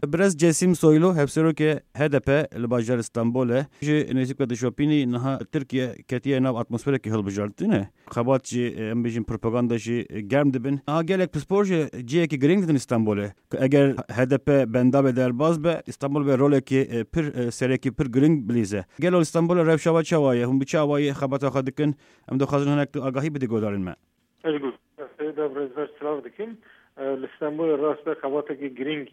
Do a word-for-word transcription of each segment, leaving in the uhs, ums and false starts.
Birêz Cesîm Soylu, hevserokê H D P li bajarê Stenbolê, ji nêzîk ve dişopînî niha Tirkiye ketiye nav atmosferekî hilbijartinê. Xebat jî, em bêjin, propaganda jî germ dibin. Niha gelek pispor ji cihekî girîng didin Stenbolê. Ku eger H D P benda be, derbas be, Stenbol be rolekî, e, pir, e, serekî pir girîng bilîze. Gelo Stenbolê rewşa we çawa ye? Hûn bi çi awayî xebata xwe dikin? Em dixwazin hinek tu agahî bidî guhdarên me. Ez got, Seyda Birêzber silav dikim. E, li Stenbolê rast be xebatekî girîng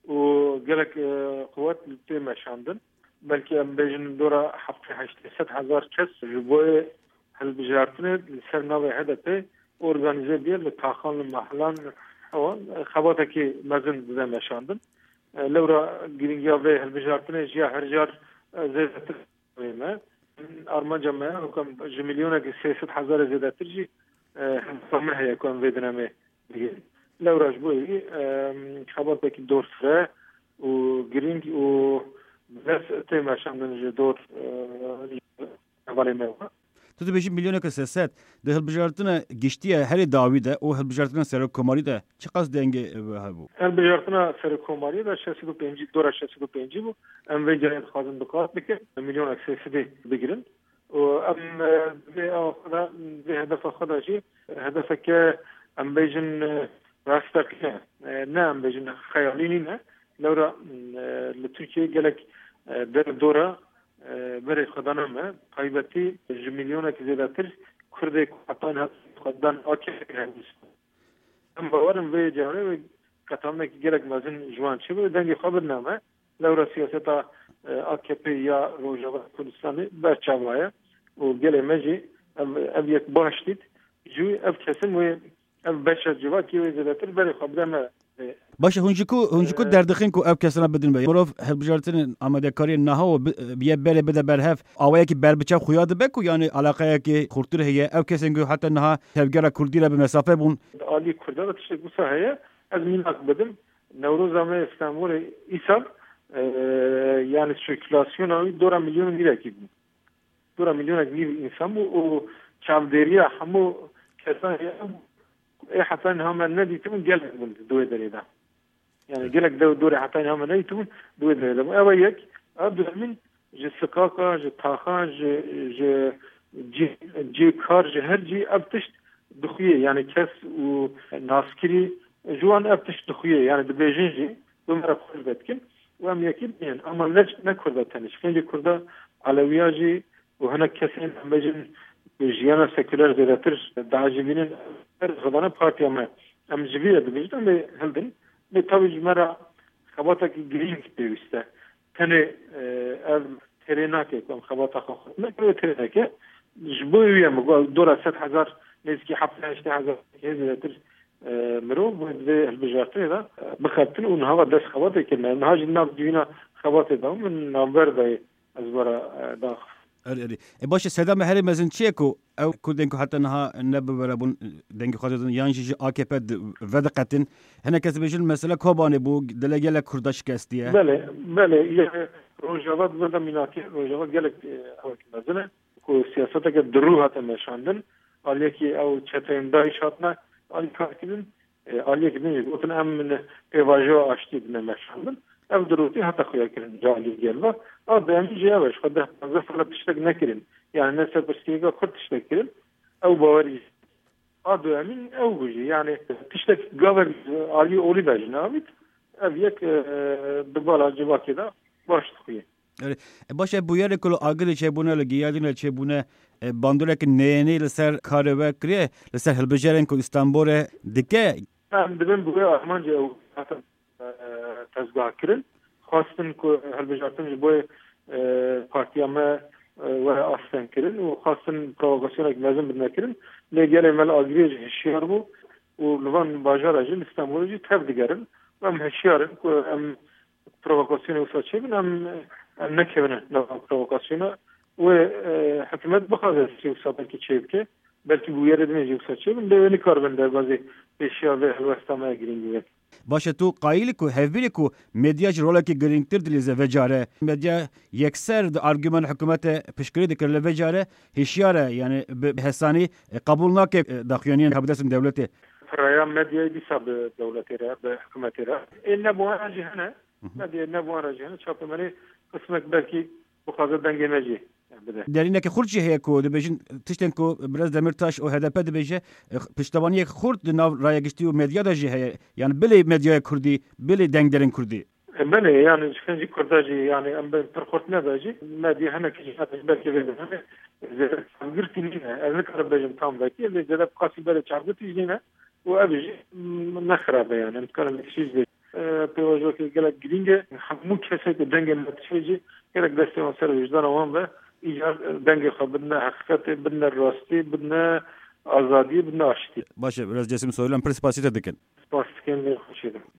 û gelek, e, quwet li tê meşandin. Belkî em bêjin dora heftê heştê sed hezar kes ji bo hilbijartinê li ser navê H D P organîze bûye li taxan, li mehelan, ewan, e, xebatekî mezin dide meşandin. E, lewra girîngiya vê hilbijartinê jî ya her car, e, zêdetir me. Armanca me ye, wekî em ji milyonek sê sed hezarê zêdetir jî, e, hedefa me heye ku em vê dinemê bigihînin. Lewra ji bo wî, e, xebatekî dorfireh û girîng û bi dest tê meşandin ji dor, e, hevalê me ve. Tu dibêjî milyonek sê sed. Di hilbijartina giştî ya herî dawî de û hilbijartina serokkomarî de çiqas dengê, e, hebû? Hilbijartina serokkomariyê de şeş sed û pêncî, dora şeş sed û pêncî bû. Em vê carê dixwazin bi qat bikin, milyonek sê sedî bigirin. Û em, e, vê awa xwe de, vê hedefa xwe de jî, hedefeke, em bêjin, e, rasteqîne, e, ne em bêjin xeyalî nîne. Lewra, e, li Tirkiyeyê gelek, e, der dora, e, berê xwedana me, taybetî ji milyonek zêdetir Kurdê ku heta niha xwe dan A K P hevdî. Em bawer in vê carê wê qetamnekî gelek mezin ji wan çêbe, dengê xwe bidine me. Lewra siyaseta, e, A K P ya Rojava Kurdistanê berçava ye û gelê me jî ev, ev yek baş dît. Ji wî ev kesin wê, ev beşa civakê wê zêdetir berê xwe bide me. Baş e, hûn ji ku, hûn ji ku, e, derdixin ku ev kesana bidin be? Mirov hilbijartinên amadekariyên niha û bi-, biye berê bide ber hev, awayekî berbiçav xuya dibe ku, yanî, alaqeyekî xurtir heye? Ev kesên ku heta niha tevgera kurdî re bi mesafe bûn. Alî kurda de tiştek wisa heye, ez mînak bidim. Newroza me Stenbolê îsal, e, yanî sirkulasyona wî dora milyon û nîvekî bû. Dora milyonek nîv însan bû û çavdêriya hemû kesan heye. Ê heta niha me nedîtibûn gelek bûn di wê derê de. Yani gelek dew dorê heta niha me nedîtibûn di wê derê de bûn. Ev e yek. Ev duyemîn, ji sikaka, ji taxa, ji, ji cî, cî kar, ji her cî ev tişt dixuye. Yani kes û naskirî ji wan ev tişt dixuye. Yani dibêjin jî, bi me re xweş vedikin. Û em yekî bînin. Ama ne, ne Kurda tenê. Ji xêncê Kurda, Elewiya jî û hinek kesên, em bêjin, jiyana sekuler zêdetir diajibînin. Her xwedana partiya me. Em ji vî re dibêjin, em ê hildin. Lê tawî ji me re xebatekî girîng pêwîst e. Tenê, e, ev têrê nake ku em xebata xwe xurt neke, wê têrê neke. Ji bo wî ye min got, dora sed hezar, nêzîkî heftê heştê hezar hê zêdetir, e, mirov wê di vê hilbijartinê de, e, bixebtin û niha ve dest xebatê kirine. Niha jî nav civîna xebatê de min navber dayê ez were, e, daxist. Erê, erê. E, baş e, seda me herê mezin çi ye ku ew Kurdên ku heta niha ne bi we re bûn, dengê xwe didin, yan jî ji A K P di-, vediqetin? Hinek kes dibêjin, mesela Kobanê bû, dilê gelek Kurda şikestiye. Belê, belê. Yê Rojava di vir de mînakê, Rojava gelek, e, ewek mezin e. Ku siyaseteke dirû hate meşandin. Aliyekî ew çeteyên DAIŞ hatine alîkarkirin. E, aliyekî din jî gotin, em pêvajoya aştiyê dine meşandin. Ev dirûtî hate xuyakirin ji aliyê gel ve. A duyemîn jî ev e, ji xwe deh panzdeh sala tiştek nekirin. Yani ne ser pirsgirêka Kurd tiştek kirin. Ew bawerî. A duyemîn ew bû jî. Yani tiştek gavek aliyê olî de jî navît. Ev yek, e, di bala civakê de baş dixuye. Erê, e, baş e, bûyerê ku li Agirî çêbûne, li Giyadînê çêbûne, e, bandoreke neyênî li ser karê we kiriye, li ser hilbijarên ku Îstanbulê dike? Em dibin bi wê armancê ew hatin, e, tezgahkirin. Xwestin ku hilbijartin ji bo, e, partiya me, e, were astengkirin û xwestin provokasyonek mezin bidine kirin. Lê gelê me li Agiriyê jî hişyar bû û li van bajara jî, li Stenbolê jî tev digerin. Em hişyar in ku em provokasyonê wisa çêbin, em, em nekevine nava provokasyona. Wê, e, hikûmet bixwaze jî wisa belkî çêbike, belkî bûyerê din jî wisa çêbin, lê wê nikaribin derbazê pêşiya vê helwesta me ya girîng bibin. Baş e, tu qayîl î ku hevbîr î ku medya ji rolekî girîngtir dilîze vê care? Medya yekser di argûmana hikûmetê piştgirî dikir, lê vê care hişyar e, yani bi hesanî, e, qebûl nake, e, daxuyaniyên ka bi destên dewletê. Piraya medyayê dîsa bi dewletê re, bi hikûmetê re. Ê ne bi wan jî hene. Medyayê ne bi wan re jî hene, çapemenê qismek belkî bixwaze dengê me jî bide. Derîneke xurt jî heye ku dibêjin tiştên ku Birêz Demirtaş û H D P dibêje, e, piştevaniyek xurt di nav raya giştî û medya de jî heye. Yani bilê medyaya kurdî, bilê dengderên kurdî. E, belê, yani ji xêncî kurda jî, yani em bi pir xurt nebe jî, medya hinekî jî hene, belkî vê demê zêde çavgirtî nîne. Ez nikarim bêjim tam vekî, lê zêde bi qasî berê çavgirtî jî nîne û ev jî, mm, ne xirab e, yani em dikarin vekî jî bêjin. E, pêvajoyeke gelek girîng e. Hemû kesê ku dengê me diçe jî gerek destê wan ser wijdana wan be, îcar dengê xwe bidine heqîqetê, bidine rastî, bidine azadiyê, bidine aştiyê. Baş e, Birêz Cesim Soylu, em pir spasî te dikin. Spas dikim, lê xweşê dikim.